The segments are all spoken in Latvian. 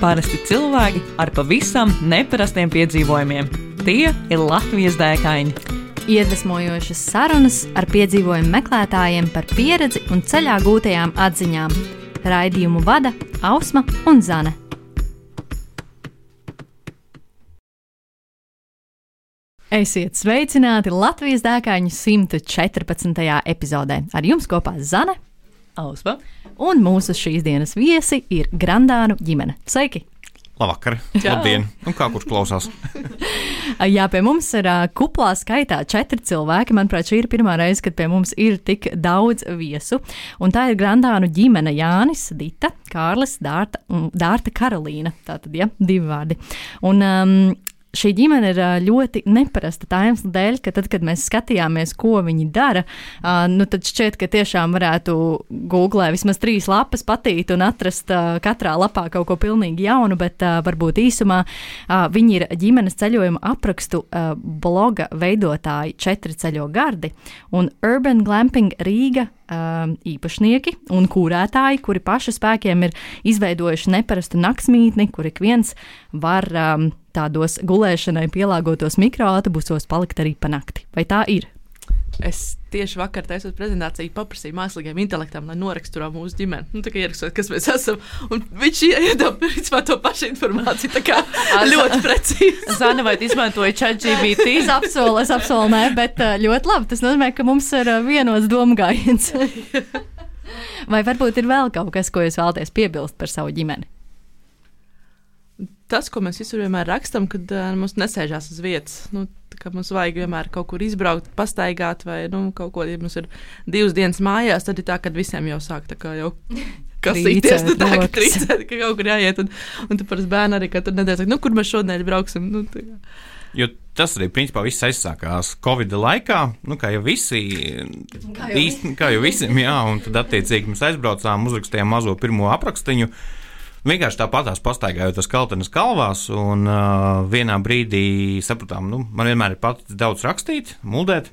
Parasti cilvēki ar pavisam neparastiem piedzīvojumiem. Tie ir Latvijas dēkaini. Iedvesmojošas sarunas ar piedzīvojumu meklētājiem par pieredzi un ceļā gūtajām atziņām. Raidījumu vada Ausma un Zane. Esiet sveicināti Latvijas dēkaņu 114. epizodē. Ar jums kopā Zane, Ausma un mūsu šīs dienas viesi ir Grandānu ģimene. Sveiki! Labvakar, labdien, un kā kurš klausās? Jā, pie mums ir kuplā skaitā 4 cilvēki. Manuprāt, šī ir pirmā reize, kad pie mums ir tik daudz viesu. Un tā ir Grandānu ģimene Jānis, Dita, Kārlis, Dārta Karolīna. Tātad, ja, 2 vārdi. Un šī ģimene ir ļoti neparasta tā iemesla dēļ, ka tad, kad mēs skatījāmies, ko viņi dara, tad šķiet, ka tiešām varētu Googlē vismaz 3 lapas patīt un atrast katrā lapā kaut ko pilnīgi jaunu, bet varbūt īsumā viņi ir ģimenes ceļojuma aprakstu bloga veidotāji 4 ceļo gardi un Urban Glamping Rīga īpašnieki un kūrētāji, kuri paši spēkiem ir izveidojuši neparastu naktsmītni, kur ik viens var tādos gulēšanai pielāgotos mikroautobusos palikt arī pa nakti. Vai tā ir? Es tieši vakar taisot prezentāciju paprasīju mākslīgiem intelektam, lai noraksturā mūsu ģimeni. Tā kā ierakstot, kas mēs esam. Un viņš iedod principā to pašu informāciju. Tā kā ļoti precīzi. Zana, vai tu izmantoji ChatGPT? Es apsolu, nē, bet ļoti labi. Tas nozīmē, ka mums ir vienots domgājiens. Vai varbūt ir vēl kaut kas, ko jūs vēlaties piebilst par savu ģimeni? Tas, ko mēs visur vienmēr rakstam, kad mums nesēžās uz vietas. Mums vajag vienmēr kaut kur izbraukt, pastaigāt, vai kaut ko, ja mums ir 2 dienas mājās, tad ir tā, kad visiem jau sāk tā kā jau kasīties, ka trīcēt, ka kaut kur jāiet. Un tu parasti bērni arī katru nedēļu saka, kur mēs šodien brauksim. Jo tas arī principā viss aizsākās Covid laikā, kā jau visiem, jā, un tad attiecīgi mēs aizbraucām, uzrakstījām mazo pirmo aprakstiņu. Vienkārši tāpatās pastaigājot kaltenes kalvās, un vienā brīdī sapratām, man vienmēr ir paticis daudz rakstīt, muldēt,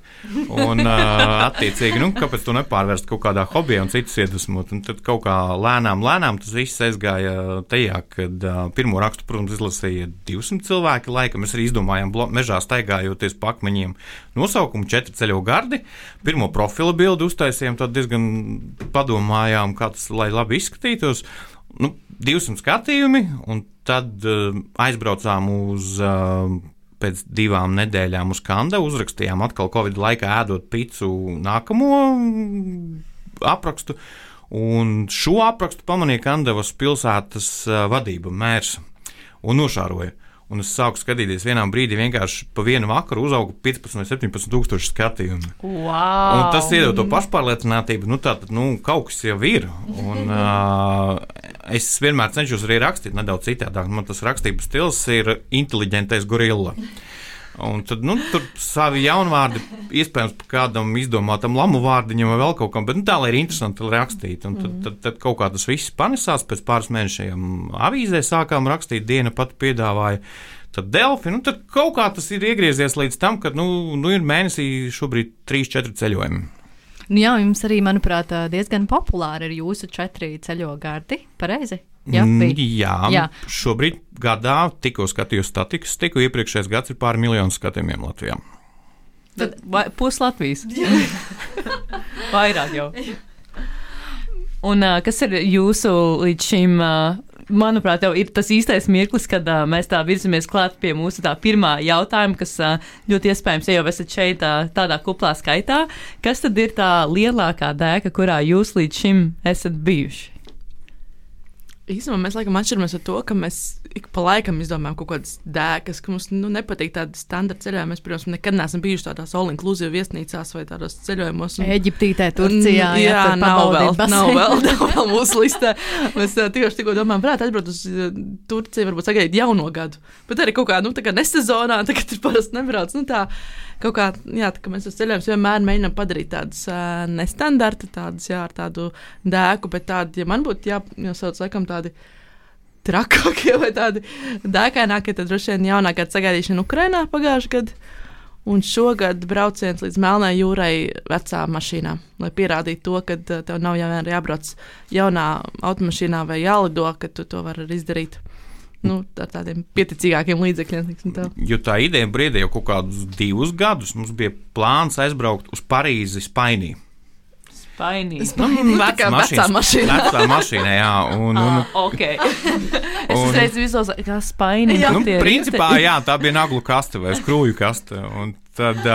un attiecīgi, kāpēc to nepārvērst kaut kādā hobijā un citus iedvesmot. Un tad kaut kā lēnām tas viss aizgāja tajā, kad pirmo rakstu, protams, izlasīja 200 cilvēki laika. Mēs arī izdomājām mežā staigājoties pa akmeņiem nosaukumu 4 ceļo gardi. Pirmo profila bildi uztaisījām, tad diezgan padomājām, kā tas, lai labi izskatītos. 200 skatījumi, un tad aizbraucām pēc 2 nedēļām uz Kandavu, uzrakstījām atkal Covid laikā ēdot picu nākamo aprakstu, un šo aprakstu pamanīja Kandavas pilsētas vadība, mērs, un nošāroja. Un es sāku skatīties vienā brīdī, vienkārši pa vienu vakaru uzauga 15 vai 17 tūkstoši skatījumi. Wow. Un tas iedod to pašpārliecinātību, tātad, kaut kas jau ir. Un es vienmēr cenšos arī rakstīt nedaudz citādāk. Man tas rakstības stils ir inteliģentais gorilla. Un tad, tur savi jaunvārdi, iespējams, par kādam izdomātam lamu vārdiņam vai vēl kaut kam, bet tā, lai ir interesanti rakstīt. Un tad kaut kā tas viss panesās, pēc pāris mēnešiem avīzē sākām rakstīt, Diena pat piedāvāja, tad Delfi, tad kaut kā tas ir iegriezies līdz tam, ka, ir mēnesī šobrīd 3-4 ceļojumi. Jā, jums arī, manuprāt, diezgan populāri ir jūsu 4 ceļo gardi, pareizi? Jā, šobrīd gadā tikko skatījos statistiku, iepriekšējais gads ir pāri miljonu skatījumiem Latvijā. Tad pus Latvijas. Vairāk jau. Un kas ir jūsu līdz šim, manuprāt, jau ir tas īstais mirklis, kad mēs tā virzamies klāt pie mūsu tā pirmā jautājuma, kas ļoti iespējams, ja jau esat šeit tādā kuplā skaitā, kas tad ir tā lielākā dēka, kurā jūs līdz šim esat bijuši? Īstenībā mēs laikam atšķiramies ar to, ka mēs ik pa laikam izdomājam kaut kādas dēkas, ka mums nepatīk tādi standarta ceļojumi. Mēs, protams, nekad neesam bijuši tādās all-inclusive viesnīcās vai tādos ceļojumos. Eģiptītē, Turcijā. Jā, nav vēl mūsu listē. Mēs tikko domājam, varētu aizbraukt uz Turciju, varbūt sagaidīt jauno gadu. Bet arī kaut kā, tā kā nesezonā, tagad ir parasti nebrauc. Kaut kā, tā kā mēs uz ceļojumus vienmēr mēģinām padarīt tādas nestandarta, tādas, ar tādu dēku, bet tādi, ja man būtu jāsauc laikam tādi trakākie vai tādi dēkainākie, tad droši vien jaunākā sagaidīšana Ukrainā pagājušajā gadā. Un šogad brauciens līdz Melnai jūrai vecā mašīnā, lai pierādītu to, ka tev nav jābrauc jaunā automašīnā vai jālido, ka tu to vari izdarīt ar tādiem pieticīgākiem līdzekļiem. Jo tā ideja brīdī jau kaut kādus 2 gadus mums bija plāns aizbraukt uz Parīzi Spainī. Vecā mašīna. Vecā mašīna, jā. Ok. Es reiz visos, kā Spainī. Principā, jā, tā bija naglu kaste vai skrūju kaste. Un tad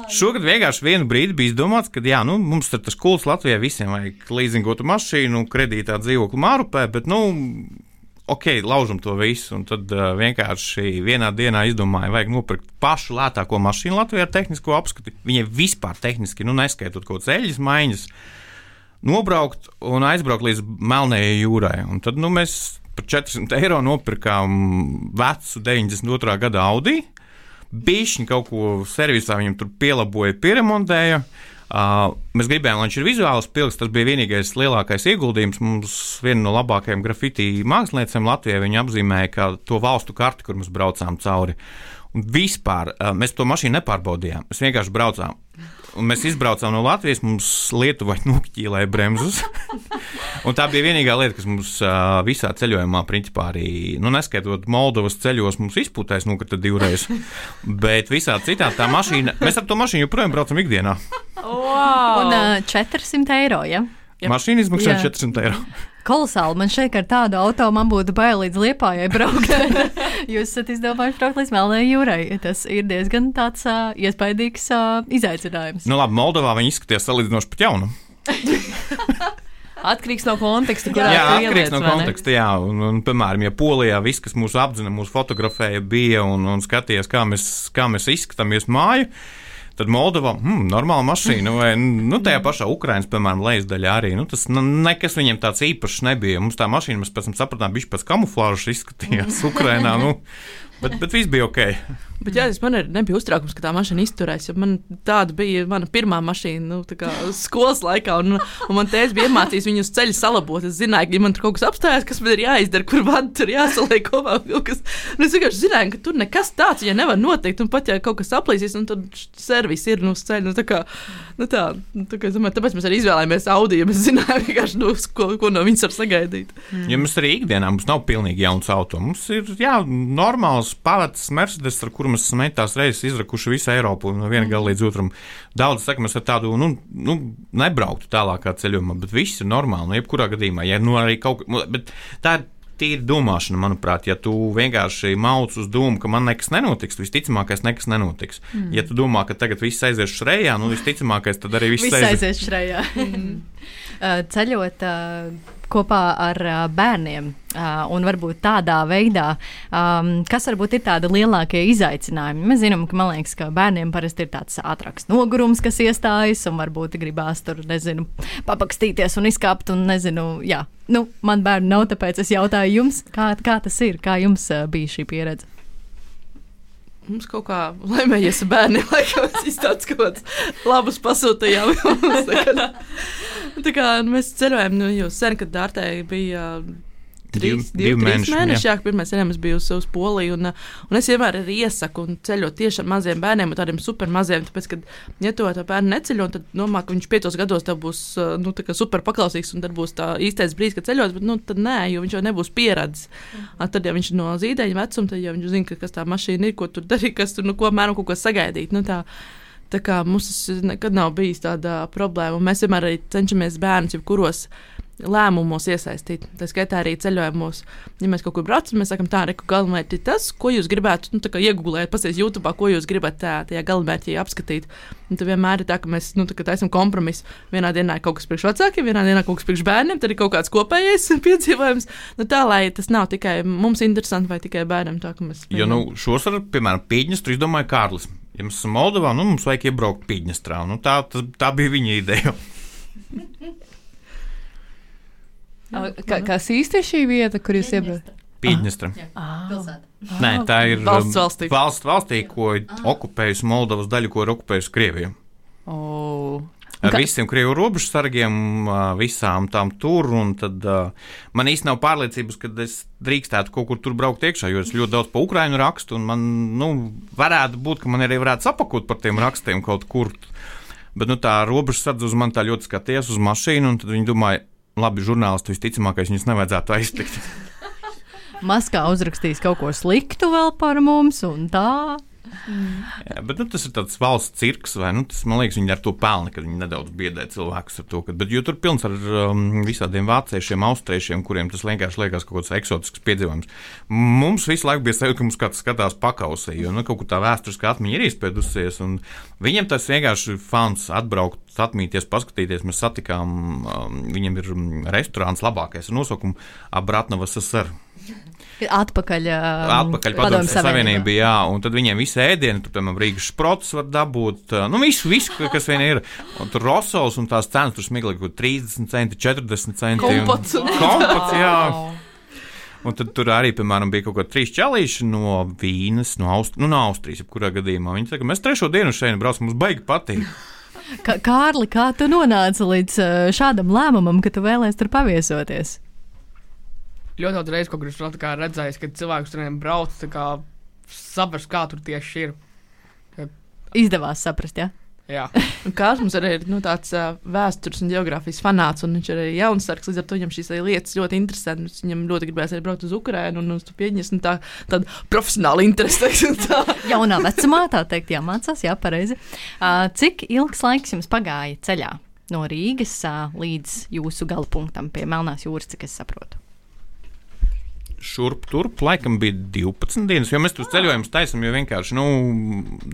šogad vienkārši vienu brīdi bija izdomāts, ka jā, mums tas kults Latvijai visiem vajag līzingotu mašīnu, kredītā dzīvokli Mārupē, bet, ok, laužam to visu, un tad vienkārši vienā dienā izdomāju, vajag nopirkt pašu lētāko mašīnu Latvijā ar tehnisko apskati. Viņai vispār tehniski, neskaitot kaut ceļas maiņas, nobraukt un aizbraukt līdz Melnējai jūrai. Un tad, mēs par 400 eiro nopirkām vecu 92. gada Audi, bišķiņ kaut ko servisā viņam tur pielaboja, pieremontēja. Mēs gribējām, lai viņš ir vizuāls pilks, tas bija vienīgais lielākais ieguldījums. Mums viena no labākajām grafiti māksliniecēm Latvijā viņa apzīmēja kā to valstu karti, kur mēs braucām cauri. Un vispār mēs to mašīnu nepārbaudījām, mēs vienkārši braucām. Un mēs izbraucām no Latvijas, mums Lietuvai nokķīlēja bremzus. Un tā bija vienīgā lieta, kas mums visā ceļojumā, principā arī, neskaitot Moldovas ceļos, mums izpūtēs nokrita 2 reizes. Bet visā citā tā mašīna, mēs ar to mašīnu joprojām braucam ikdienā. Wow. Un 400 eiro, ja? Mašīna izmaksā 400 eiro. Kolosāli, man šeit ar tādu auto man būtu bail līdz Liepājai braukt. Jūs esat izdomājuši braukt līdz Melnējai jūrai. Tas ir diezgan tāds iespaidīgs izaicinājums. Labi, Moldovā viņi izskatījās salīdzinoši pat jaunu. Atkarīgs no konteksta, kurā jā, atkarīgs no konteksta, jā. Un, piemēram, ja Polijā viss, kas mūs apdzina, mūs fotografēja, bija un skatījās, kā mēs izskatāmies māju, tad Moldova, normāla mašīna, vai tajā pašā Ukrainas, piemēram, lejasdaļā arī, tas nekas viņiem tāds īpašs nebija. Mums tā mašīna, mēs pēc tam sapratām, bišķi pēc kamuflāžas izskatījās Ukrainā, bet viss bija ok. Bet jā, man nebija uztraukums, ka tā mašīna izturēs, jo man tāda bija mana pirmā mašīna, skolas laikā, un man tēvs bija iemācījis viņu uz ceļa salabot. Es zināju, ka ja man tur kaut kas apstājās, kas man ir jāizdara, kur vadu tur jāsaliek kopā kaut kas. Un es vienkārši zināju, ka tur nekas tāds, ja nevar notikt, un pat ja kaut kas aplīsīs, un tad servis ir uz ceļa. Es domāju, tāpēc mēs arī izvēlējāmies Audi, ja mēs zinājām vienkārši, ko no viņas var sagaidīt. Ja mēs arī ikdienā, mums nav pilnīgi jauns auto. Mums ir, normāls pavads Mercedes, ar kuru mēs esam tās reizes izrakuši visu Eiropu no viena gala līdz otram. Daudz saka, mēs ar tādu, nebrauktu tālākā ceļojumā, bet viss ir normāli, jebkurā gadījumā. Ja arī bet tā ir tīra domāšana, manuprāt, ja tu vienkārši mauc uz domu, ka man nekas nenotiks, visticamākais nekas nenotiks. Ja tu domā, ka tagad viss aizies šrejā, visticamākais tad arī viss aizies šrejā. Ceļot kopā ar bērniem un varbūt tādā veidā, kas varbūt ir tādi lielākie izaicinājumi. Mēs zinām, ka man liekas, ka bērniem parasti ir tāds ātrāks nogurums, kas iestājas un varbūt gribās tur, papakstīties un izkāpt un jā. Man bērni nav, tāpēc es jautāju jums, kā tas ir, kā jums bija šī pieredze? Mums kaut kā laimējies ar bērniem, laikam es izstāstu kaut kāds labus pasūtījām. Mēs ceļojām, jau sen, kad Dārtei bija 3 mēneši, jā, pirmais ceļojums bija uz Poliju, un es vienmēr arī iesaku un ceļot tieši ar maziem bērniem un tādiem super maziem, tāpēc, kad, ja to bērnu neceļo, tad domā, ka viņš 5 gados tev būs super paklausīgs, un tad būs tā īstais brīdis, kad ceļos, bet tad nē, jo viņš jau nebūs pieredzis. Tad, ja viņš no zīdaiņa vecuma, tad jau viņš zina, kas tā mašīna ir, ko tur darīt, kas tur, ko mēram kaut ko sagaidīt. Tā kā mums nekad nav bijis tāda problēma, un mēs vienmēr arī cenšamies bērnus jebkuros lēmumos iesaistīt. Tā skaitā arī ceļojumos. Ja mēs kaut kur braucam, mēs sakam, galamērķi ir tas, ko jūs gribētu, iegūlēt, pasies YouTube, ko jūs gribat tajā galamērķī apskatīt. Un tad vienmēr ir tā, ka mēs, taisam kompromisu. Vienā dienā ir kaut kas priekš vecākiem, vienā dienā kaut kas priekš bērniem, tad ir kaut kāds kopējais piedzīvojums. Tā, lai tas nav tikai mums interesanti vai tikai bērniem. Tā, ka mēs... Jo, šosar, piemēram, Pīģņestru izdomāja Kārlis. Ja mēs esam Moldovā, mums vajag iebraukt Pīģņestrā. Tā bija viņa ideja. Kas īsti ir šī vieta, kur jūs iebraucat? Pīģņestra. Nē, tā ir valstī, ko okupējusi Moldovas daļu, ko ir okupējusi Krievija. Ar visiem Krievu robežu sargiem, visām tām tur, un tad man īsti nav pārliecības, ka es drīkstētu kaut kur tur braukt iekšā, jo es ļoti daudz pa Ukrainu rakstu, un man, varētu būt, ka man arī varētu sapakot par tiem rakstiem kaut kur. Bet, tā robežu sardze uz man tā ļoti skaties uz mašīnu, un tad viņi domāja, labi, žurnālisti visticamākais viņus nevajadzētu aiztikt. Maskā uzrakstīs kaut ko sliktu vēl par mums un tā. Jā, bet tas ir tāds valsts cirks, vai tas, man liekas, viņi ar to pelna, kad viņi nedaudz biedē cilvēkus ar to. Jo tur pilns ar visādiem vāciešiem, austriešiem, kuriem tas vienkārši liekas kaut kāds eksotisks piedzīvojums. Mums visu laiku bija sajūta, ka mums kāds skatās pakausī, jo kaut kur tā vēsturiskā atmiņa ir izpēdusies, un viņiem tas vienkārši fans atbraukt, atmīties, paskatīties. Mēs satikām, viņam ir restorāns labākais ar nosaukumu Abratnovas SSR. Atpakaļ Padomju Savienība, jā, un tad viņiem visi ēdieni, tur, piemēram, Rīgas šprots var dabūt, visu, kas vien ir, un tur rosols un tās cenas, tur smieklīgi, 30 centi, 40 centi. Kompats, jā. Un tad tur arī, piemēram, bija kaut kā 3 čalīši no Vīnes, no Austrijas, jebkurā gadījumā. Viņi teica, mēs 3. dienu šeit braucam, mums baigi patīk. Kārli, kā tu nonāci līdz šādam lēmumam, ka tu vēlēs tur paviesoties? Ļoti daudz reizes, kur esmu redzējis, ka cilvēks tur brauc, saprast, kā tur tieši ir. Izdevās saprast, jā? Jā. Kāds mums arī ir tāds vēstures un geogrāfijas fanāts, un viņš ir arī jaunsargs, līdz ar to viņam šīs lietas ļoti interesantas. Viņam ļoti gribēs arī braukt uz Ukrainu un uz Pieņas, un tāda profesionāla interese. Jaunā vecumā, tā teikt, jāmācās, jā, pareizi. Cik ilgs laiks jums pagāja ceļā no Rīgas līdz jūsu galapunktam pie Melnās jūras, cik es saprotu? Šurp turp, laikam bija 12 dienas, jo mēs tur ceļojumus taisam, jo vienkārši,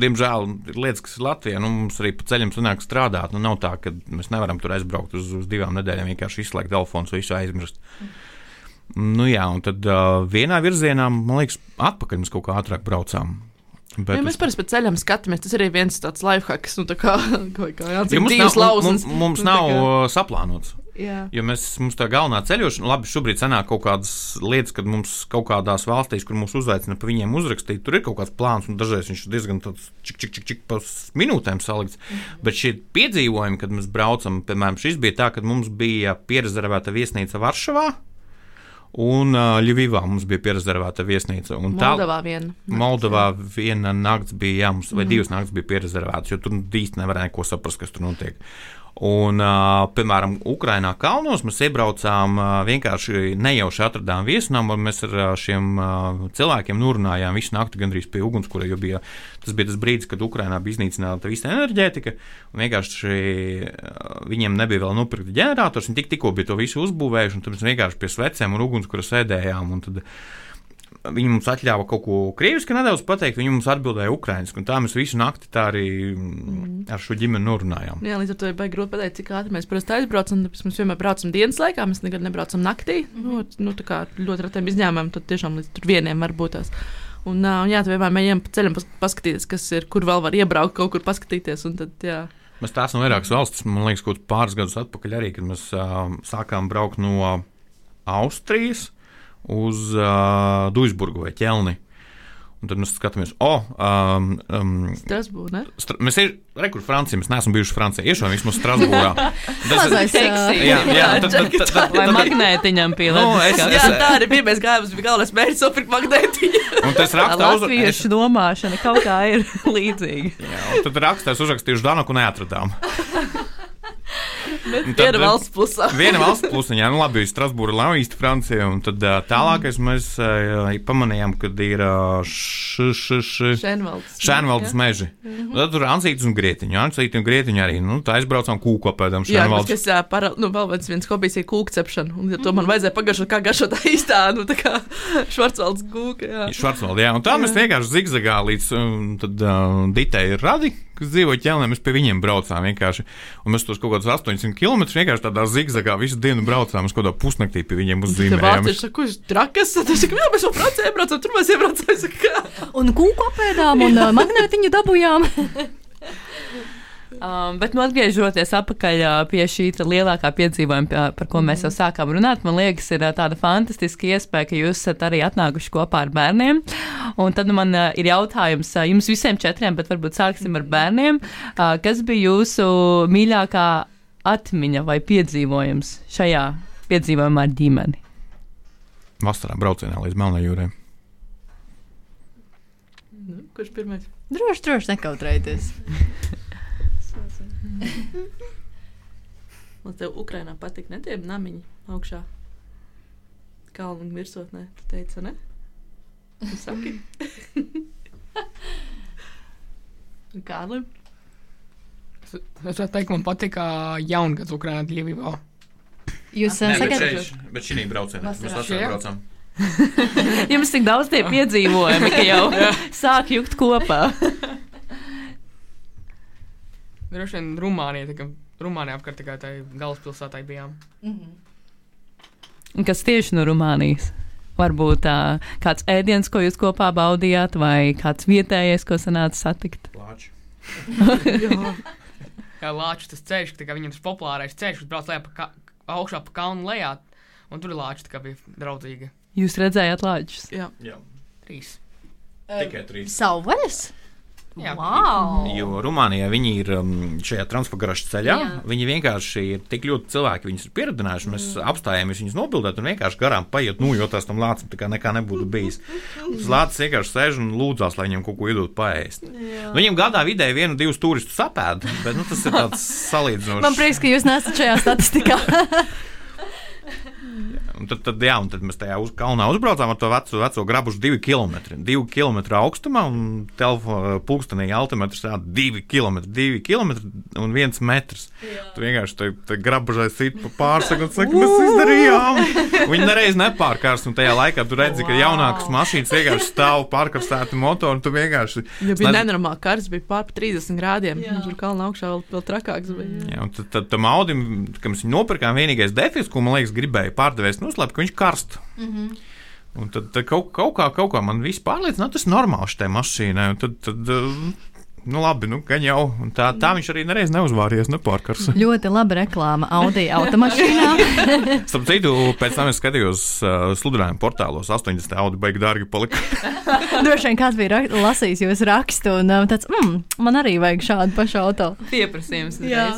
diemžēl ir lietas, kas ir Latvijā, mums arī pa ceļam sanāk strādāt, nav tā, ka mēs nevaram tur aizbraukt uz 2 nedēļām, vienkārši izslēgt telefons, visu aizmirst. Jā, un tad vienā virzienā, man liekas, atpakaļ mēs kaut kā ātrāk braucām. Ja mēs parasti pēc ceļam skatāmies, tas arī viens tāds lifehacks, kā Jānis Dīvs lauzums. Mums nav saplānots. Jā. Jo mums tā galvenā ceļošana, labi, šobrīd sanāk kaut kādas lietas, kad mums kaut kādās valstīs, kur mūs uzaicina pa viņiem uzrakstīt, tur ir kaut kāds plāns, un dažreiz viņš ir diezgan tāds čik pa minūtēm salikts. Bet šie piedzīvojumi, kad mēs braucam, piemēram, šis bija tā, kad mums bija pierezervēta viesnīca Varšavā, un Ļuvivā mums bija pierezervēta viesnīca. Un Moldovā viena nakts bija, jā, mums, vai 2 nakts bija pierezervētas, jo tur īsti nevarēja neko saprast, kas tur notiek. Un, piemēram, Ukrainā kalnos mēs iebraucām, vienkārši nejauši atradām viesnām, un mēs ar šiem cilvēkiem norunājām visu nakti gandrīz pie ugunskura, jo tas bija tas brīdis, kad Ukrainā bija iznīcināta visa enerģētika, un vienkārši viņiem nebija vēl nopirkta ģenerators, viņi tikko bija to visu uzbūvējuši, un tad mēs vienkārši pie svecēm un ugunskura sēdējām, un tad viņi mums atļāva kaut ko krieviski nedaudz pateikt, viņi mums atbildēja ukrainiski, un tā mēs visu nakti tā arī ar šo ģimeni norunājām. Jā, līdz ar to ir baigi grūti pateikt, cik ātri mēs parasti aizbraucam, tāpēc mēs vienmēr braucam dienas laikā, mēs nekad nebraucam naktī, tā kā ļoti retiem izņēmumiem, tad tiešām līdz tur 1 var būt tās. Un jā, tad vienmēr mēģinām pa ceļam paskatīties, kas ir, kur vēl var iebraukt, kaut kur paskatīties, un tad, jā. Mēs tā esam vairākas valstis, man liekas, kaut pāris gadus atpakaļ arī, kad mēs sākām braukt no Austrijas uz Duisburgu vai Ķelni. Un tad mēs skatāmies, Strasbūra, ne? Mēs kur Francija, mēs neesam bijuši Francijā, iešām vismaz Strasbūrā. Mazais seksī. Vai magnētiņam pielēdz. Jā, tā arī bija, mēs gājām, bija galvenais mērķis nopirkt magnētiņu. Un tas rakstā latviešu domāšana kaut kā ir līdzīga. Jā, un tad rakstā uzrakstījuši Danaku neatradām. Viena valsts pusā. Viena valsts plusiņā, labi, Strasbūra nav īsti Francija, un tad tālākais mēs pamanījām, kad ir Šēnvaldes meži. Tad tur Ansītis un Grietiņu arī, tā aizbraucām kūku apēdām Šēnvaldes. Jā, vēl viens hobijs ir kūku cepšana, un to man vajadzēja pagaršot, kā garšot tā īstā, tā kā Švarcvaldes kūka, jā. Švarcvalde, jā, un tā mēs vienkārši zigzagā līdz tad Ditei Radi, kas dzīvo Ķelnē, mēs pie viņiem braucām vienkārši, un mēs tos kaut kādus 800 km vienkārši tādā zigzagā visu dienu braucām, mēs kaut kādā pusnaktī pie viņiem uzzīmējām. Vācieši saka, kurš trakas, tad es saku, jā, mēs jau Francijā iebraucām, tur mēs iebraucām, un kūku apēdām, un magnētiņu dabujām. Bet atgriežoties atpakaļ pie šī lielākā piedzīvojuma, par ko mēs jau sākām runāt, man liekas, ir tāda fantastiska iespēja, ka jūs esat arī atnākuši kopā ar bērniem. Un tad man ir jautājums jums visiem 4, bet varbūt sāksim ar bērniem. Kas bija jūsu mīļākā atmiņa vai piedzīvojums šajā piedzīvojumā ar ģimeni? Vasarā braucienā līdz Melnai jūrai. Kurš pirmais? Droši nekautrējieties. Man tev Ukrainā patīk, ne tie namiņi augšā? kalnu virsotnē, tu teici, ne? Tu saki? Kārlim? Es varu teikt, man patika jaungads Ukrainā Ļivivā. Jūs Bet šī braucienā mēs vasarā braucam. Jums tik daudz tie piedzīvojumi, ka jau sāk jukt kopā. Droši vien Rumānijā apkārt tikai tai galvaspilsētai bijām. Kas tieši no Rumānijas? Varbūt kāds ēdiens, ko jūs kopā baudījāt, vai kāds vietējais, ko sanāca satikt? Lāči. Jā, Lāču tas ceļš, ka viņam tas populārais ceļš, kas brauc lejā augšā pa kalnu lejā, un tur Lāči tā kā bija draudzīga. Jūs redzējāt Lāčus? Jā. 3. Tikai 3. Savvaļas? Jā. Wow! Jo Rumānijā viņi ir šajā transportgaražas ceļā. Jā. Viņi vienkārši ir tik ļoti cilvēki, viņus ir pieredzinājuši. Mēs apstājāmies viņus nobildēt un vienkārši garām paiet, jo tās tam lācim tā kā nekā nebūtu bijis. Tas lācis vienkārši sēž un lūdzās, lai viņam kaut ko iedot paēst. Viņam gadā vidēji 1-2 turistus sapēd, bet tas ir tāds salīdzinošs. Man prieks, ka jūs nesat šajā statistikā. Un tad mēs tajā kalnā uzbraucām ar to veco grabušu 2 km. 2 km augstumā un pulkstenī altimetrs rāda 2 km un 1 metrs. Tu vienkārši te grabužai sit pa pārsaku un saka, mēs izdarījām. Viņi nereiz nepārkārs, un tajā laikā tu redzi, ka jaunākas mašīnas vienkārši stāv pārkarstēti motori, un tu vienkārši... Ja bija nenormāli karsts, bija pār 30 grādiem. Tur kalna augšā vēl trakāks bija. Jā, un tad tam Audim, kad mēs viņu nopirkām, vienīgais defis, ko, man liekas, gribēja pārdevējs noslēpt, ka viņš karst. Un tad kaut kā man viss pārliecināja, tas ir normāli šitai mašīnai. Un tad labi, gan jau. Un tā viņš arī nereiz neuzvārījās, nepārkars. Ļoti laba reklāma Audi automašīnā. Starp citu, pēc tam es skatījos sludinājumu portālos, 80 Audi baigi dārgi palika. Droši vien kāds bija lasījis jūsu rakstu un tāds, man arī vajag šādu pašu auto. Pieprasījums. Jā.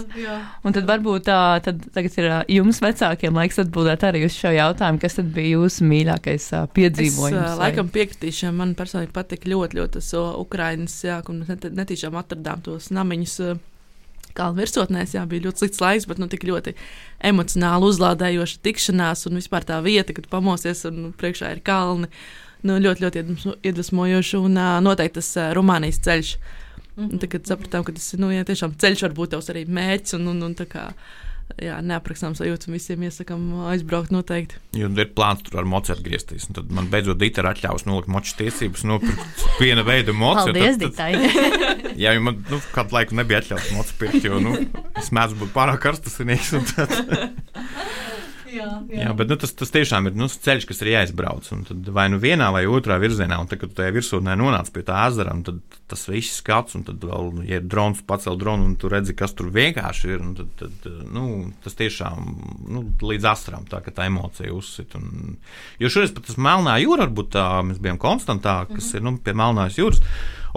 Un tad varbūt tagad ir jums vecākiem laiks atbildēt arī uz šo jautājumu, kas tad bija jūsu mīļākais piedzīvojums? Es laikam piekritīšu, man personīgi patika ļoti tas Ukrainas, un netīšām atradām tos namiņus kalnu virsotnēs, bija ļoti slikts laiks, bet tik ļoti emocionāli uzlādējoša tikšanās un vispār tā vieta, kad pamosies un priekšā ir kalni. Ļoti, ļoti iedvesmojoši un noteikti tas Rumānijas ceļš. Un tad sapratām, ka tas ir tiešām ceļš var būt tavs arī mērķis un tā kā neaprakstāms sajūtas un visiem iesakām aizbraukt noteikti. Jo ir plāns tur ar moci atgriezties. Un tad man beidzot Dita ir atļaus nolikt moču tiesības nopirkt viena veida moci. Paldies, Ditai! Jā, jo man kādu laiku nebija atļauts moci pirkt, jo es mēdzu būt pārāk karstasinīgs un tad... Jā, bet tas tiešām ir ceļš, kas ir jāizbrauc. Un tad vai vienā vai otrā virzienā, un tad, kad tu tajā virsotnē nonāc pie tā ezera, un tad tas viss skats, un tad vēl, ja ir drons, pacel dronu, un tu redzi, kas tur vienkārši ir, un tad tas tiešām līdz asaram, tā, ka tā emocija uzsit. Jo šoreiz pat tas Melnā jūra, varbūt tā, mēs bijām Konstantā, kas ir pie Melnās jūras.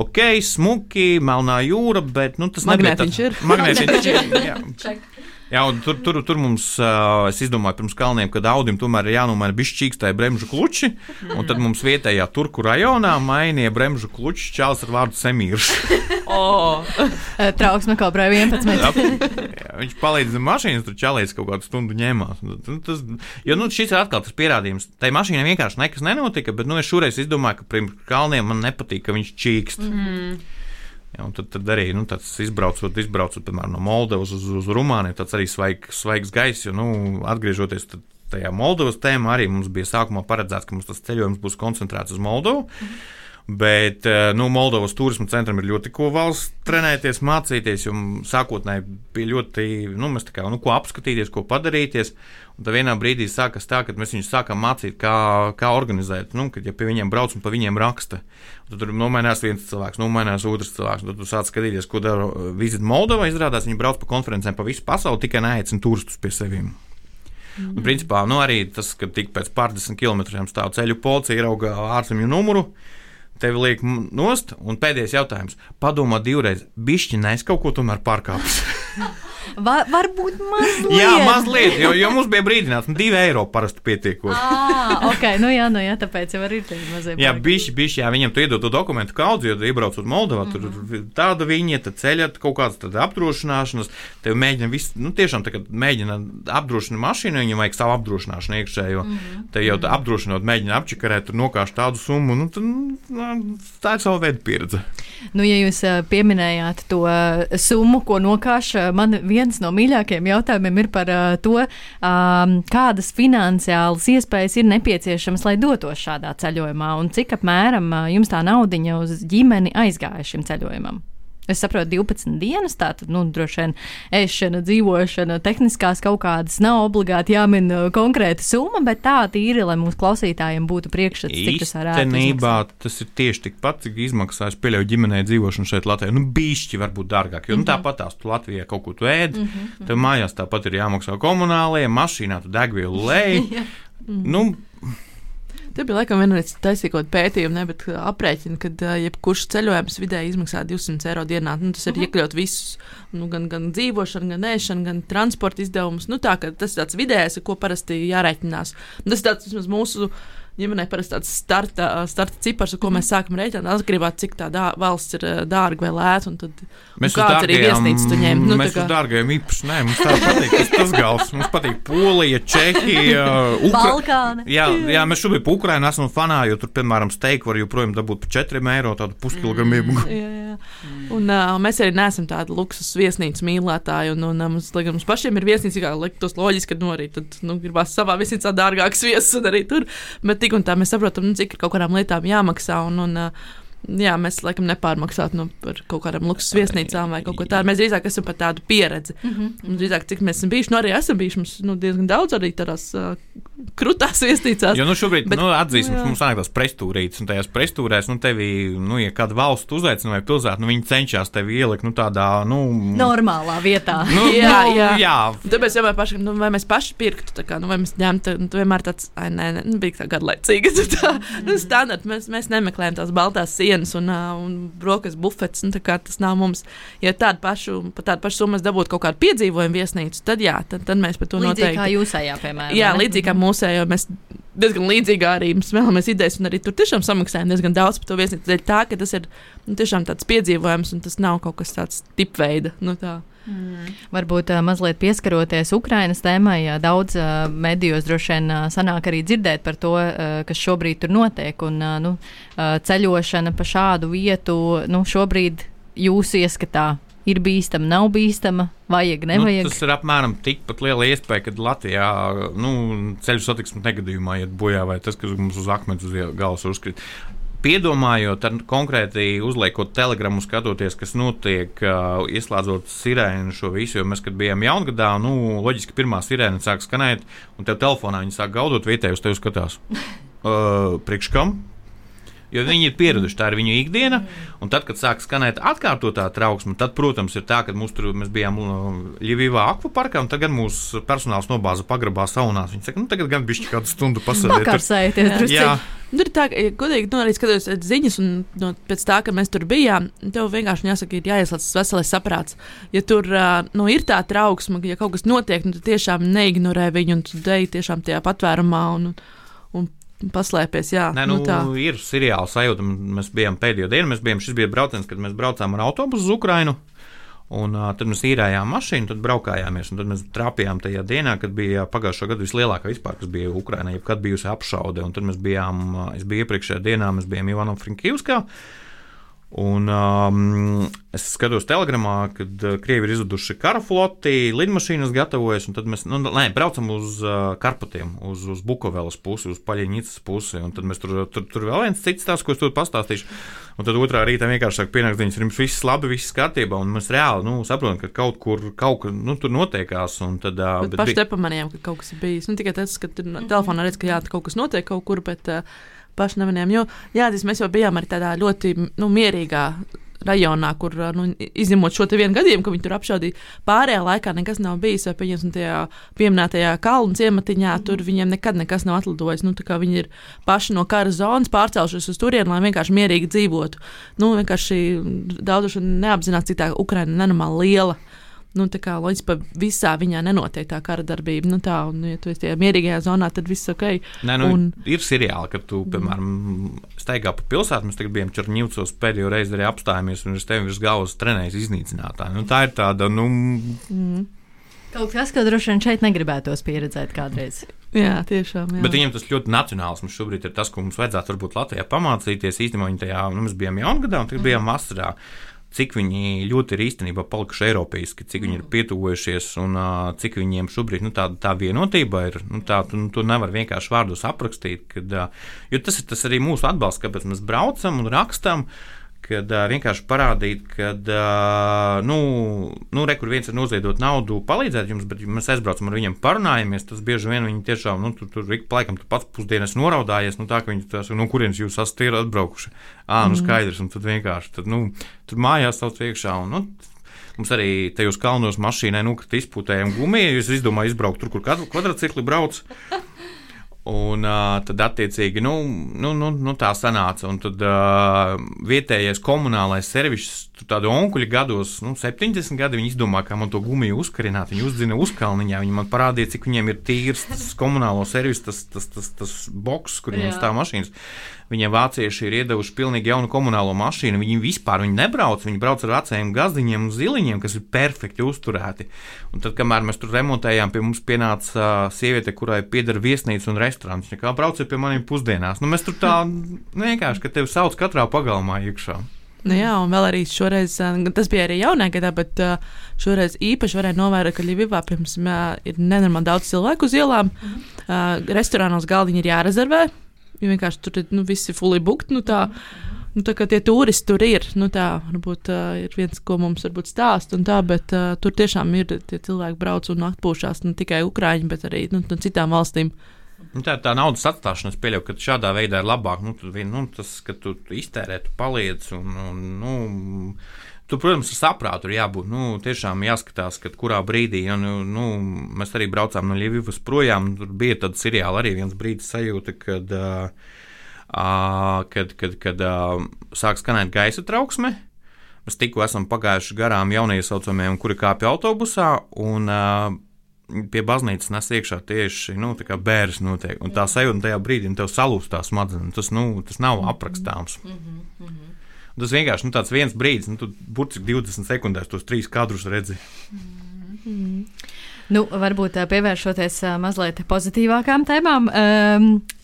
Ok, smuki, Melnā jūra, bet tas Magnētiņš ir. Magnētiņš ir, jā. Jā, un tur mums, es izdomāju pirms kalniem, kad Audim tomēr ir jānomaina bišķīkstai bremžu kluči, un tad mums vietējā Turku rajonā mainīja bremžu kluči čāls ar vārdu Semīrs. Trauksme kobrāja 11. Jā, viņš palīdz mašīnas, tur čalīts kaut kādu stundu ņēmās. Jo šis ir atkal tas pierādījums. Tai mašīnai vienkārši nekas nenotika, bet es šoreiz izdomāju, ka pirms kalniem man nepatīk, ka viņš čīkst. Ja, un tad arī tāds izbraucot, piemēram, no Moldovas uz Rumāniju, tāds arī svaigs gaiss, jo, atgriežoties tajā Moldovas tēmā, arī mums bija sākumā paredzēts, ka mums tas ceļojums būs koncentrēts uz Moldovu, bet, Moldovas turisma centram ir ļoti ko valsts trenēties, mācīties, jo sākotnēji bija ļoti, mēs tā kā, ko apskatīties, ko padarīties, un tad vienā brīdī sākas tā, kad mēs viņus sākām mācīt, kā organizēt, kad ja pie viņiem brauc un pa viņiem raksta, tad tur nomainās viens cilvēks, nomainās otrs cilvēks, un tad tu sāc skatīties, ko dara Visit Moldova, izrādās, viņi brauc pa konferencēm pa visu pasauli, tikai neaicina turistus pie sevīm. Un, principā, arī tas, ka tik pēc pār 10 kilometriem stāv ceļu policija, ierauga ārzemju numuru, tevi liek nost, un pēdējais jautājums, padomā divreiz, bišķi, es kaut ko tomēr pārkāpis. Varbūt mazliet. Jā, mazliet, jo mums bija brīdināts, 2 eiro parasti pietiekot. Ok, nu jā, tāpēc jau arī ir mazie. Jā, bišķi, jā, viņam tu iedod to dokumentu kaudzi, jo iebraucot Moldovā, tur tāda viņieta ceļa, kaut kāds tāda apdrošināšanas, tev mēģina visu, tiešām tagad mēģina apdrošināt mašīnu, viņam vajag savu apdrošināšanu iekšējo, te jau apdrošinot mēģina apčikarēt, tur nokāš tādu summu, tā ir sava veida pieredze. Ja jūs pieminējāt to summu, ko nokāš, man viens no mīļākajiem jautājumiem ir par to, kādas finansiālas iespējas ir nepieciešamas, lai dotos šādā ceļojumā, un cik apmēram jums tā naudiņa uz ģimeni aizgāja šim ceļojumam. Es saprotu, 12 dienas, tātad, droši vien ēšana, dzīvošana, tehniskās kaut kādas nav obligāti jāmin konkrēta summa, bet tā tīri, lai mūsu klausītājiem būtu priekšstats, cik tas varētu Īstenībā tas ir tieši tikpat, cik izmaksā es pieļauju ģimenei dzīvošanu šeit Latvijā. Bišķi varbūt dārgāk, jo tāpat tās tu Latvijā kaut ko tu ēd, tev mājās tāpat ir jāmaksā komunālie, mašīnā tu degvielu lej. Te bija laikam vienreiz taisīkot pētījumu, bet aprēķina, ka jebkurš ceļojums vidēji izmaksā 200 eiro dienā. Tas ir iekļaut visus, gan dzīvošanu, gan ēšanu, gan transporta izdevumus. Tā, ka tas ir tāds vidējais, ko parasti jārēķinās. Tas ir tāds vismaz mūsu ģimenei parasti tāds starta cipars, ko mēs sākam rēķināt, atkarībā cik tā valsts ir dārga vai lēta, un tad kāds arī viesnīcas tu ņem. Mēs uz dārgajiem īpaši, mums tā patīk tas gals. Mums patīk Polija, Čehija, Balkāni. Jā, mēs šobrīd pa Ukrainu esam fanā, jo tur, piemēram, steiku var joprojām dabūt par 4 eiro, tādu puskilogramību. Jā. Un mēs arī neesam tādi luksus viesnīcas mīlētāji, un mums pašiem ir viesnīca, kā liktos loģiski, ka arī tad, gribās savā viesnīcā dārgāks viesis un arī tur, bet tik un tā mēs saprotam, cik ir kaut kādām lietām jāmaksā, jā, mēs laikam nepārmaksātu par kaut kādām luksus viesnīcām vai kaut ko tādu. Mēs drīzāk esam par tādu pieredzi. Drīzāk, cik mēs esam bijuši, arī esam bijuši mums diezgan daudz arī tādās krutās viesnīcās. Jo šobrīd, atzīsim, mums sanāk tās prestūrītes, un tajās prestūrēs, tevi, ja kāda valsts uzaicina vai pilsēta, viņi cenšas tevi ielikt, tādā, normālā vietā. Jā. Tāpēc jau paši, vai mēs paši pirktu, tā kā, vai mēs ņemtu, vienmēr tāds, bija tā garlaicīga, standarta, mēs nemeklējam tās baltās sienas un brokas bufets, tas nav mums. Ja tādu pašu summu dabūtu kaut kādu piedzīvojumu viesnīcu, tad jā, tad mēs par to noteikti. Līdzīgi kā jūsējā, piemēram. Jā, līdzīgi kā mūsējā, mēs diezgan līdzīgi arī smēlamies idejas un arī tur tiešām samaksājam diezgan daudz par to viesnīcu. Dēļ tā, ka tas ir tiešām tāds piedzīvojums un tas nav kaut kas tāds tipveida. Varbūt mazliet pieskaroties Ukrainas tēmai, daudz medijos droši vien sanāk arī dzirdēt par to, kas šobrīd tur notiek, un ceļošana pa šādu vietu, šobrīd jūsu ieskatā ir bīstama, nav bīstama, vajag, nevajag? Tas ir apmēram tikpat liela iespēja, kad Latvijā ceļu satiksmes negadījumā iet bojā, vai tas, kas mums uz akmens uz galvas uzkrīt. Piedomājot, konkrēti uzliekot telegramu, skatoties, kas notiek, ieslēdzot sirēnu šo visu, jo mēs, kad bijām jaungadā, loģiski pirmā sirēna sāk skanēt, un tev telefonā viņi sāk gaudot, vietēji uz tevi skatās. Priekš kam? Jo viņi ir pieraduši, tā ir viņu ikdiena, un tad, kad sāk skanēt atkārtotā trauksme, tad, protams, ir tā, ka mēs bijām Ļivivā akvaparkā, un tagad mūsu personāls nobāza pagrabā saunās. Viņi saka, tagad gan bišķi kādu stundu pasēdēt. Pakarsēties drusku. Tur ir tā, godīgi, arī skatos ziņas, un pēc tā, ka mēs tur bijām, tev vienkārši jāsaka, ir jāieslēdz veselais saprāts. Ja tur ir tā trauksme, ja kaut kas notiek, tad tiešām neignorē viņu, un tu deji tiešām tajā patvērumā, un paslēpies, jā. Ir seriāla sajūta. Mēs bijām pēdējo dienu, šis bija brauciens, kad mēs braucām ar autobusu uz Ukrainu, un tad mēs īrējām mašīnu, tad braukājāmies, un tad mēs trāpījām tajā dienā, kad bija pagājušo gadu vislielākā vispār, kas bija Ukrainā, jebkad bijusi apšaude, un tad es biju iepriekšējā dienā, mēs bijām Ivano-Frankivskā, un es skatos telegramā, kad Krievi ir izveduši kara floti, lidmašīnas gatavojas, un tad mēs braucam uz Karpatiem, uz Bukovelas pusi, uz Paļiņicas pusi, un tad mēs tur vēl viens cits tās, ko es tur pastāstīšu, un tad otrā rītā vienkārši sāk pienākt ziņas, ir jums viss labi, viss kārtībā, un mēs reāli saprotam, ka kaut kur tur notiekās, un tad... Bet paši nepamanījām, ka kaut kas ir bijis. Tikai tas, ka telefonā redz, ka kaut kas notiek kaut kur, bet... paši nevinējām, jo mēs jau bijām arī tādā ļoti mierīgā rajonā, kur izņemot šo te vienu gadījumu, ka viņi tur apšaudīja, pārējā laikā nekas nav bijis, vai pieņemsim tajā pieminētajā kalnu ciematiņā, tur viņiem nekad nekas nav atlidojis, tā kā viņi ir paši no kara zonas pārcēlušies uz turienu, lai vienkārši mierīgi dzīvotu. Vienkārši daudz neapzinās, cik tā Ukraina nenormāli liela. Nu, tā kā loģiski, pa visā viņā nenotiek tā kara darbība. Nu, tā, un, ja tu esi tajā mierīgajā zonā, tad viss ok. Nē, nu, ir seriāli, kad tu, piemēram, staigā pa pilsētu. Mēs tagad bijām Černivcos pēdējo reizi arī apstājāmies, un es tevi virs galvas trenēju iznīcinātāju. Nu, tā ir tāda, Kaut kas, ko droši vien šeit negribētos pieredzēt kādreiz. Jā, tiešām. Jā. Bet viņiem tas ļoti nacionālisms šobrīd ir tas, ko mums vajadzētu varbūt Latvijā pamācīties. Īstenībā viņi tajā, mēs bijām jaungadā, un tagad bijām vasarā. Cik viņi ļoti ir īstenībā palikuši eiropeiski, cik viņi ir pietuvojušies un cik viņiem šobrīd tā vienotība ir. Tu nevar vienkārši vārdos aprakstīt, jo tas ir tas arī mūsu atbalsts, kāpēc mēs braucam un rakstam. Kad vienkārši parādīt, ka, kur viens ir noziedot naudu, palīdzēt jums, bet mēs aizbraucam ar viņiem, parunājamies, tas bieži vien viņi tiešām, tur laikam tu pats pusdienas noraudājies, tā, ka viņi tās, kurienes jūs esat atbraukuši. Skaidrs, un tad vienkārši, tur mājās sauc iekšā, un, mums arī tajos kalnos mašīnai nokrita izpūtējiem gumiju, es izdomāju izbraukt tur, kur kvadrcikli brauc. Un tad, attiecīgi, tā sanāca. Un tad vietējais komunālais servis, tādu onkuļu gados, 70 gadi, viņi izdomā, kā man to gumiju uzkarināt. Viņi uzdzina uzkalniņā, viņi man parādīja, cik viņiem ir tīrs tas komunālo servis, tas boks, kur viņiem stāv mašīnas. Viņiem vācieši ir iedevuši pilnīgi jaunu komunālo mašīnu. Viņi vispār nebrauc, viņi brauc ar vecajiem gazdiņiem un ziliņiem, kas ir perfekti uzturēti. Un tad, kamēr mēs tur remontējām, pie mums pienāca sieviete, kurai pieder viesnīca un restorāns. Viņa kā brauciet pie maniem pusdienās. Mēs tur tā vienkārši, ka tevi sauc katrā pagalmā iekšā. Nu jā, un vēl arī šoreiz, tas bija arī jaunā gadā, bet šoreiz īpaši varēja novērot, ka Ļivivā pirms ir nenormāli daudz cilvēku uz ielām. Restorānos galdiņi ir jārezervē. Jo vienkārši tur viss ir fully booked, tā kā tie turisti tur ir, tā varbūt ir viens, ko mums varbūt stāst un tā, bet tur tiešām ir tie cilvēki brauc un atpūšās, ne tikai Ukraiņi, bet arī no citām valstīm. Tā naudas atstāšana, es pieļauju, ka šādā veidā ir labāk, tas, ka tu iztērē, tu paliec un, tu, protams, ar saprātu ir jābūt, tiešām jāskatās, kad kurā brīdī, mēs arī braucām no Ļivivas projām, tur bija tad seriāli arī viens brīdis sajūta, kad sāk skanēt gaisa trauksme, mēs tikko esam pagājuši garām jauniesaucamiem, kuri kāpja autobusā, un pie baznīcas nes iekšā tieši, tā kā bēres notiek, un tā sajūta tajā brīdī, tev salūst tā smadzenes, tas nav aprakstāms. Tas vienkārši tāds viens brīdis, tu burtiski 20 sekundēs tos 3 kadrus redzi. Varbūt pievēršoties mazliet pozitīvākām tēmām.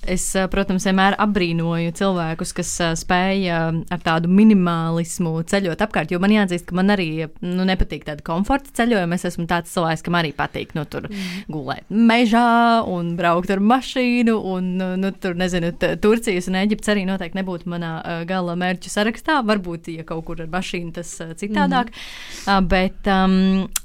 Es, protams, vienmēr apbrīnoju cilvēkus, kas spēja ar tādu minimālismu ceļot apkārt, jo man jāatzīst, ka man arī nepatīk tāda komforta ceļojuma. Es esmu tāds cilvēks, kam arī patīk tur gulēt mežā un braukt ar mašīnu, un tur, nezinu, Turcijas un Eģiptes arī noteikti nebūtu manā gala mērķu sarakstā. Varbūt, ja kaut kur ar mašīnu tas citādāk. Bet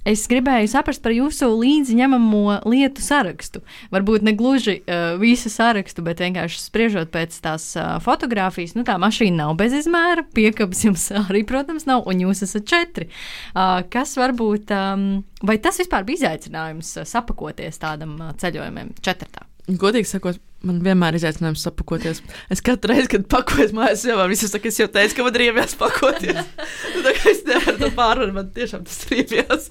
es gribēju saprast par jūsu līdzi ņemamo lietu sarakstu. Varbūt ne gluži visu sarakstu, bet vienkārši spriežot pēc tās fotogrāfijas, tā mašīna nav bez izmēra, piekabas jums arī, protams, nav, un jūs esat 4. Kas varbūt, vai tas vispār bija izaicinājums sapakoties tādam ceļojumiem 4? Godīgi sakot, man vienmēr ir izaicinājums sapakoties. Es katru reizi, kad pakojos mājās, es jau teicu, ka man riebjās pakoties. Tā kā es nevaru to pārvarēt, man tiešām tas riebjās.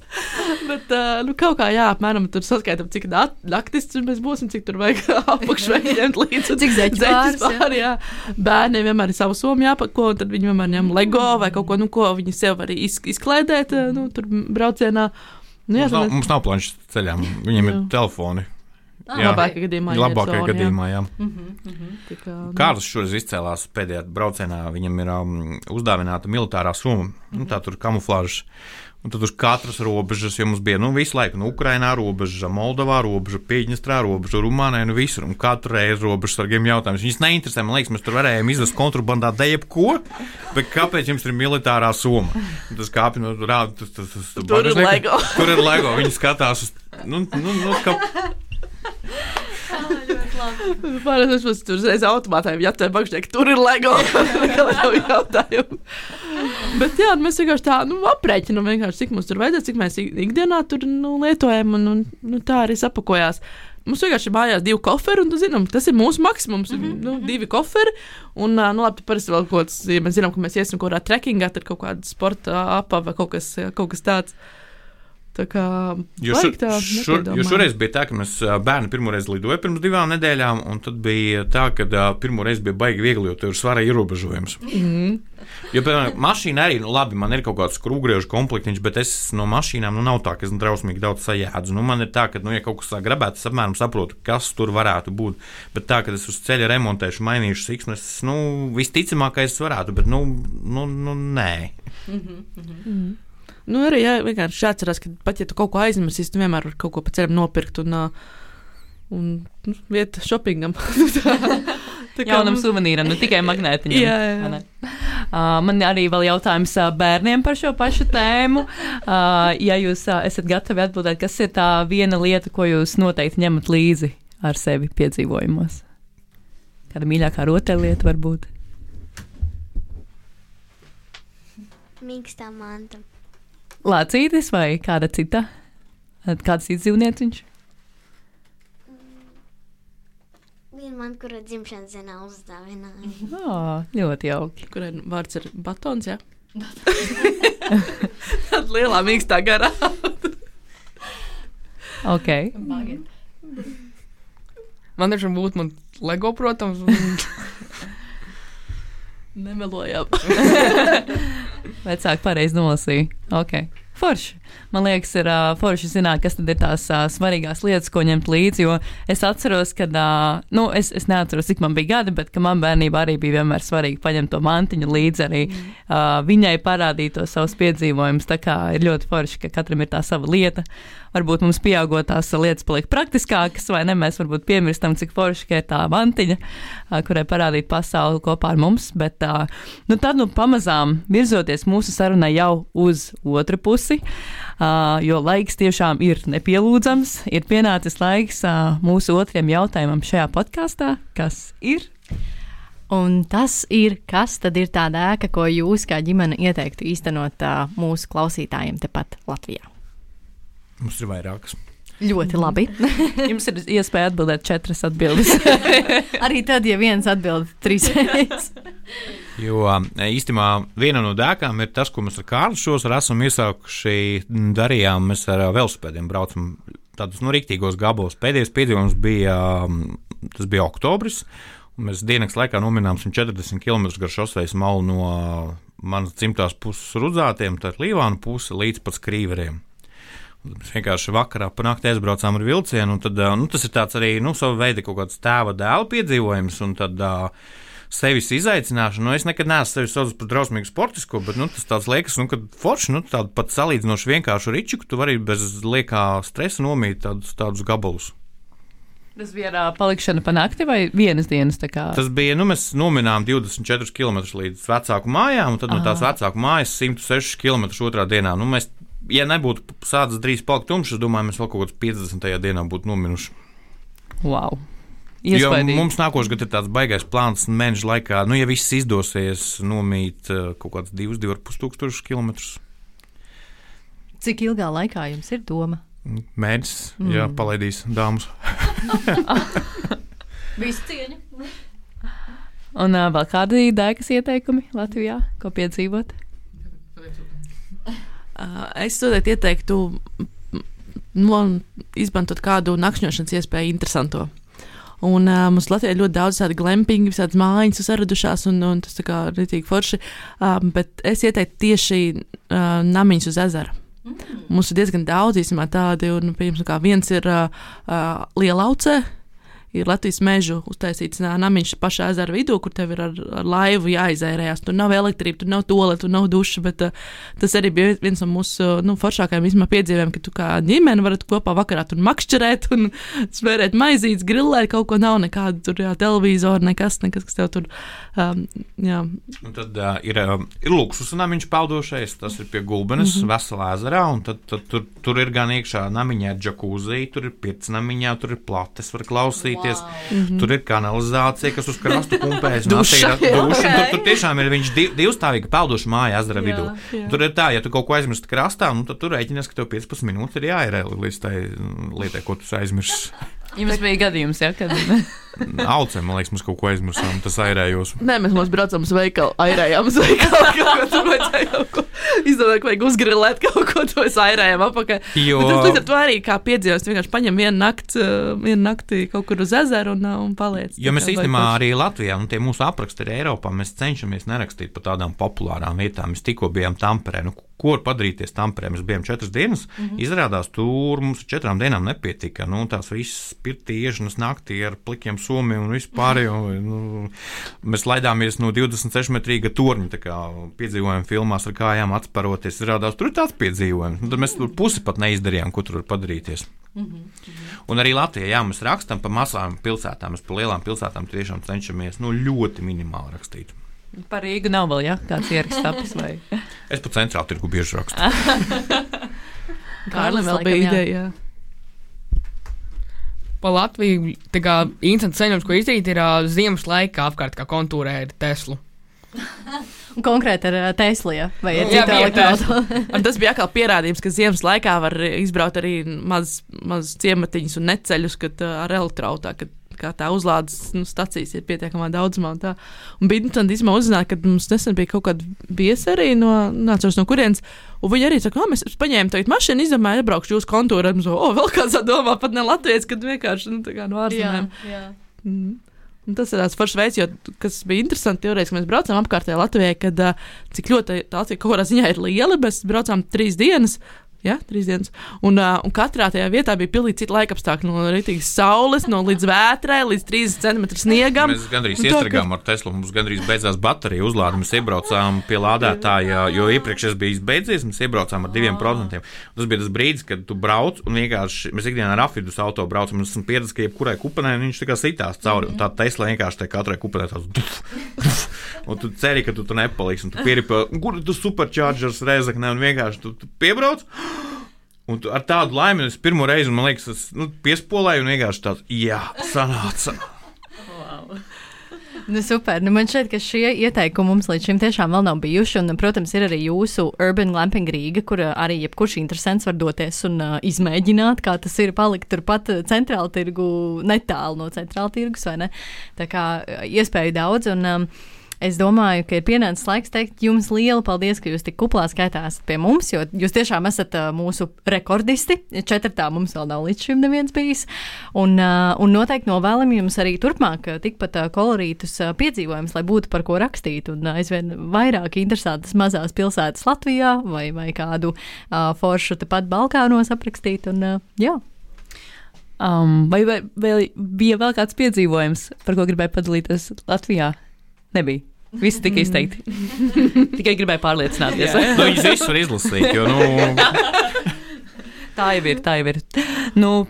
Bet, kaut kā, apmēram tur saskaitam, cik naktis mēs būsim, cik tur vajag apakšveļi ņemt līdzi. Cik zeķis pār, jā. Bērniem vienmēr ir savu somu jāpako, un tad viņi vienmēr ņem Lego vai kaut ko, ko viņi sev var izklaidēt, tur braucienā. Mums nav planšas ceļām, viņiem ir telefoni. Labākajā gadījumā, jā. Kārlis šoreiz izcēlās pēdējā braucienā, viņam ir uzdāvināta militārā summa, tā tur kamuflāžas. Un tad uz katras robežas, jo mums bija visu laiku Ukrainā robeža, Moldovā robeža, Piedņestrā robeža, Rumānijā, visur. Un katru reizi robežsargiem jautājums. Viņus neinteresē, man liekas, mēs tur varējām izvest kontrabandā jebko, bet kāpēc jums ir militārā summa? Tas kāpj no rāda. Tur ir Lego. Tur ir Lego, viņi skatās uz. Pārējais mums tur reiz automātā jātē bakšķiek, tur ir Lego. Bet jā, mēs vienkārši tā aprēķinam vienkārši, cik mums tur vajadzēs, cik mēs ikdienā tur lietojam un tā arī sapakojās. Mums vienkārši ir mājās 2 koferi, un zinām, tas ir mūsu maksimums. 2 koferi, un labi, parasti vēl kaut kāds, ja mēs zinām, ka mēs iesim kaut kādā trekkingā, tad kaut kāda sporta apa vai kaut kas tāds. Tā kā Jo šoreiz bija tā, ka mēs bērni pirmoreiz lidoja pirms 2 nedēļām, un tad bija tā, ka pirmoreiz bija baigi viegli, jo tur ir svara ierobežojums. Jo, piemēram, mašīna arī, labi, man ir kaut kāds skrūvgriežu komplektiņš, bet es no mašīnām, nav tā, ka es drausmīgi daudz sajēdzu. Man ir tā, ka, ja kaut kas grabētu, es apmēram saprotu, kas tur varētu būt. Bet tā, ka es uz ceļa remontēšu, mainīšu siksmes, visticamākais varētu, bet, nē. Arī vienkārši jāatcerās, ka pat ja tu kaut ko aizmirsīsi, tu vienmēr vari kaut ko pa ceļam nopirkt un vieta shoppingam. Jaunam suvenīram, ne tikai magnētiņam. Jā. Man arī vēl jautājums bērniem par šo pašu tēmu. Ja jūs esat gatavi atbildēt, kas ir tā viena lieta, ko jūs noteikti ņemat līdzi ar sevi piedzīvojumos? Kāda mīļākā rotaļlieta varbūt? Mīkstā manta. Lācītis vai kāda cita? Kāds cits dzīvnieciņš? Viena man, kura dzimšanas dienā uzdāvināja. Ļoti jauki. Kurai vārds ir batons, jā? Tad lielā mīkstā garā. Ok. Man taču būtu man Lego, protams. Nemelojām. Vecāki pareizi nolasīja. Ok. Forši. Man liekas, ir forši zināt, kas tad ir tās svarīgās lietas, ko ņemt līdzi, jo es atceros, kad, es neatceros, cik man bija gadi, bet, ka man bērnībā arī bija vienmēr svarīgi paņemt to mantiņu līdzi, arī viņai parādīt to savus piedzīvojumus, tā kā ir ļoti forši, ka katram ir tā sava lieta. Varbūt mums pieaugot tās lietas paliek praktiskākas, vai ne, mēs varbūt piemirstam, cik forši, ka ir tā mantiņa, kurai parādīt pasauli kopā ar mums, bet tad pamazām virzoties mūsu sarunai jau uz otru pusi, jo laiks tiešām ir nepielūdzams, ir pienācis laiks mūsu otriem jautājumam šajā podkastā, kas ir? Un tas ir, kas tad ir tāda ēka, ko jūs kā ģimene ieteiktu īstenot mūsu klausītājiem tepat Latvijā? Mums ir vairākas. Ļoti labi. Jums ir iespēja atbildēt 4 atbildes. Arī tad, ja viens atbild 3 reizes. Jo īstenībā viena no dēkām ir tas, ko mēs ar Kārli šovasar esam iesākuši darījām. Mēs ar velosipēdiem braucam tādus riktīgos gabalos. Pēdējais piedzīvojums bija oktobris. Mēs dienas laikā nominām 140 km gar šosejas malu no manas dzimtās puses Rudzātiem, tā ir Līvānu puse, līdz pat Skrīveriem. Mēs vienkārši vakarā pa nakti aizbraucām ar vilcienu, un tad, tas ir tāds arī, sava veida kaut kāds tēva dēla piedzīvojums, un tad sevis izaicināšana, es nekad neesmu sevi saucis par drausmīgu sportisko, bet, tas tāds liekas, kad forši, tādu pat salīdzinoši vienkāršu riču, ka tu vari bez liekā stresa nomīt tādus gabalus. Tas bija palikšana pa nakti vai vienas dienas? Tas bija, mēs nominām 24 km līdz vecāku mājām, un tad no tās vecāku mājas 106 km otrā dienā. Ja nebūtu sācis drīz palikt tumšs, es domāju, mēs vēl kaut kāds 50. dienā būtu nominuši. Wow. Iespaidīgi. Jo mums nākošais gads ir tāds baigais plāns mēneša laikā, ja viss izdosies nomīt kaut kāds 2,5 tūkstošus kilometrus. Cik ilgā laikā jums ir doma? Mēģis, jā, palaidīs dāmas. Visu cieņu. Un vēl kādi dēkas ieteikumi Latvijā, ko piedzīvot? Es ieteiktu izmantot kādu nakšņošanas iespēju interesanto. Un mums Latvijā ļoti daudz tādu glampingu, visādas mājiņas saradušās, un tas tā kā ritīgi forši. Bet es ieteiktu tieši namiņus uz ezera. Mums ir diezgan daudz īstenībā tādi, un piemēram, viens ir Lielaucē. Ir Latvijas mežu uztaisīts namiņš pašā ezera vidū, kur tev ir ar laivu jāizērējās. Tur nav elektrība, tur nav toaleta, tur nav duša, bet tas arī bija viens no mūsu foršākajiem piedzīvojumiem, ka tu kā ģimene varat kopā vakarā tur makšķerēt un svērēt maizītes, grillēt, kaut ko nav, nekāda tur televizora, nekas, kas tev tur, jā. Un tad ir luksus namiņš peldošais, tas ir pie Gulbenes, veselā ezerā, un tad tur ir gan iekšā namiņā džakūzī, tur ir pirts namiņā, tur ir plates, var klausīt. Wow. Tur ir kanalizācija, kas uz krastu pumpējas. Tur tiešām ir viņš divstāvīga peldoša māja ezera vidū. Tur ir tā, ja tu kaut ko aizmirsti krastā, tad tu rēķinies, ka tev 15 minūtes ir jāierē līdz tai lietai, ko tu aizmirsti. Jums bija gadījums, ja? Kad... Aucēm, man liekas, mēs kaut ko aizmirsām, tas airējos. Nē, mēs braucām uz veikalu, airējām uz veikalu, kaut ko tur vajadzēja kaut ko. Izdomāju, ka vajag uzgrilēt kaut ko, to es airējām apakaļ. Jo... Bet tas līdz ar to arī kā piedzīvos, vienkārši paņem vienu nakti kaut kur uz ezeru un paliec. Jo mēs īstenībā arī Latvijā, tie mūsu apraksti ir Eiropā, mēs cenšamies nerakstīt pa tādām populārām vietām. Mēs tikko bijām Tamperē, ko var padarīties Tamperē? Mēs bijām 4 dienas, izrādās tur mums 4 dienām nepietika. Tās visas pirtīšanas naktī ar plikiem somiem un vispār. Mēs laidāmies no 26-metrīga torņa, tā kā piedzīvojam filmās ar kājām atsparoties. Izrādās, tur ir tāds piedzīvojums. Tad mēs tur pusi pat neizdarījām, ko tur var padarīties. Un arī Latvijā, mēs rakstam pa mazām pilsētām, mēs pa lielām pilsētām tiešām cenšamies ļoti minimāli rakstīt. Par Rīgu nav vēl, ja? Kāds ieraksts tapis vai? Es pa centrālu tirgu bieži rakstu. Kārlim vēl bija ideja. Pa Latviju, tā kā interesants ceļojums, ko izdarīt, ir ziemas laikā apkārt kā kontūrēt Teslu. Konkrēti ar Teslu, ja? Vai ar citu elektroautorātu? Tas bija atkal pierādījums, ka ziemas laikā var izbraukt arī maz ciematiņus un neceļus, kad ar elektroautorātu, kā tā uzlādes stacijas ir pietiekamā daudzumā. Un bija interesanti uzzināt, ka mums nesen bija kaut kāda viesi arī nācos no kurienes, un viņi arī saka, mēs paņēmām tagad mašīnu, izdomāju, iebraukšu jūsu kontūru, un vēl kāds domā, pat ne Latvijas, kad vienkārši no ārzemēm. Jā. Un tas ir tāds foršs veids, kas bija interesanti toreiz, kad mēs braucām apkārtējā Latvijai, kad cik ļoti tā kaut kādā ziņā ir liela, mēs braucām 3 dienas, Jā, 3 dienas. Un katrā tajā vietā bija pilnīgi cita laikapstākļi. No rītīgas saules, līdz vētrai, līdz 30 cm sniegam. Mēs gandrīz iestragām ar Teslu. Mums gandrīz beidzās baterija uzlāde. Mēs iebraucām pie lādētāja, jo iepriekš es biju beidzies. Mēs iebraucām ar 2%. Tas bija tas brīdis, kad tu brauc un vienkārši mēs ikdienā ar afidus auto braucam. Mēs esam pieredzējuši, ka jebkurai kupenē viņš tā kā sitās cauri. Un tā Tesla vienkārši tā katrai kupenē tāds. Un tu ceri, ka tu nepaliksi. Un tu pieripi, kur tu superchargers Rēzaknē un vienkārši tu piebrauc. Un ar tādu laimi es pirmo reizi, man liekas, es piespolēju un vienkārši tāds, jā, sanāca. Wow. Super. Man šķiet, ka šie ieteikumi mums līdz šim tiešām vēl nav bijuši. Un, protams, ir arī jūsu Urban Glamping Rīga, kur arī jebkurš interesants var doties un izmēģināt, kā tas ir palikt turpat centrāla tirgu, netālu no centrāla tirgus, vai ne? Tā kā iespēju daudz un... Es domāju, ka ir pienācis laiks teikt jums lielu paldies, ka jūs tik kuplā skaitā esat pie mums, jo jūs tiešām esat mūsu rekordisti. 4. mums vēl nav līdz šim neviens bijis. Un noteikti novēlam jums arī turpmāk tikpat kolorītus piedzīvojumus, lai būtu par ko rakstīt un aizvien vairāk interesantas mazās pilsētas Latvijā vai kādu foršu tepat Balkānos aprakstīt. Un, jā. Vai bija vēl kāds piedzīvojums, par ko gribēju padalīties Latvijā? Nebija. Visi tika izteikti. Tikai gribēju pārliecināties. Viņus visus var izlasīt, jo, Tā jau ir.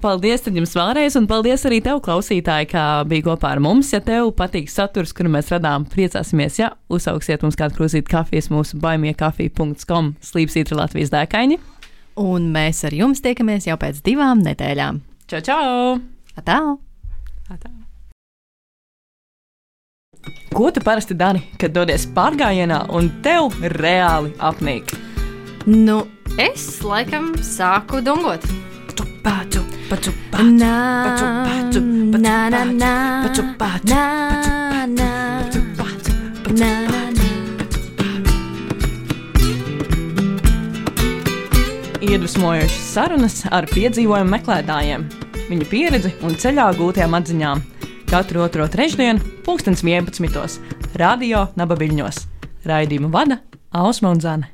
Paldies tad jums vēlreiz, un paldies arī tev, klausītāji, kā bija kopā ar mums. Ja tev patīk saturs, kuru mēs radām, priecāsimies, ja uzsauksiet mums kādu krūzīti kafijas mūsu buymekafija.com /Latvijas dēkaini. Un mēs ar jums tiekamies jau pēc 2 nedēļām. Čau! Atā! Ko tu parasti dari, kad dodies pārgājienā un tev reāli apnīk? Es laikam sāku dungot. Iedvesmojošas sarunas ar piedzīvojumu meklētājiem, viņu pieredzi un ceļā gūtajām atziņām. Katru 2. trešdienu, 11. Radio Naba Viļņos. Raidījumu vada Ausma un Zane.